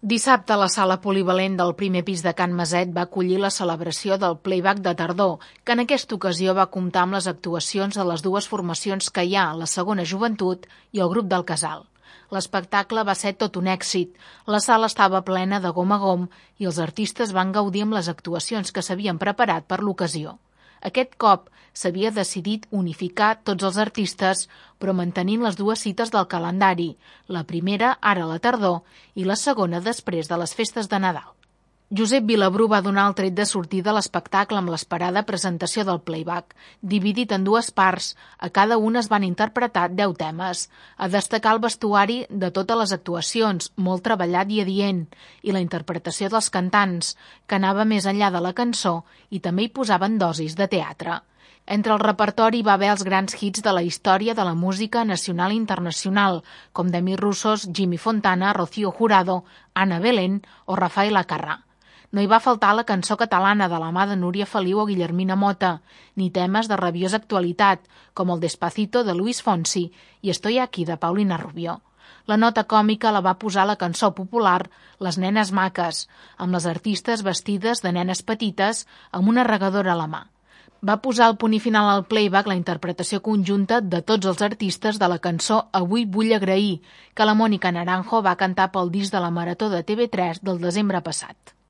Dissabte, la sala polivalent del primer pis de Can Maset va acollir la celebració del Playback de tardor, que en aquesta ocasió va comptar amb les actuacions de les dues formacions que hi ha, la Segona Joventut i el grup del Casal. L'espectacle va ser tot un èxit. La sala estava plena de gom a gom i els artistes van gaudir amb les actuacions que s'havien preparat per l'ocasió. Aquest cop s'havia decidit unificar tots els artistes, però mantenint les dues cites del calendari, la primera ara a la tardor i la segona després de les festes de Nadal. Josep Vilabrú va donar el tret de sortida a l'espectacle amb l'esperada presentació del playback, dividit en dues parts. A cada una es van interpretar 10 temes. A destacar el vestuari de totes les actuacions, molt treballat i adient, i la interpretació dels cantants, que anava més enllà de la cançó i també hi posaven dosis de teatre. Entre el repertori va haver els grans hits de la història de la música nacional i internacional, com Demi Russos, Jimmy Fontana, Rocío Jurado, Ana Belén o Rafael Acarrà. No hi va faltar la cançó catalana de la mà de Núria Feliu o Guillermina Mota, ni temes de rabiosa actualitat, com el Despacito de Luis Fonsi i Estoy aquí de Paulina Rubio. La nota còmica la va posar la cançó popular Les nenes maques, amb les artistes vestides de nenes petites amb una regadora a la mà. Va posar el punt i final al playback la interpretació conjunta de tots els artistes de la cançó Avui vull agrair, que la Mònica Naranjo va cantar pel disc de la Marató de TV3 del desembre passat.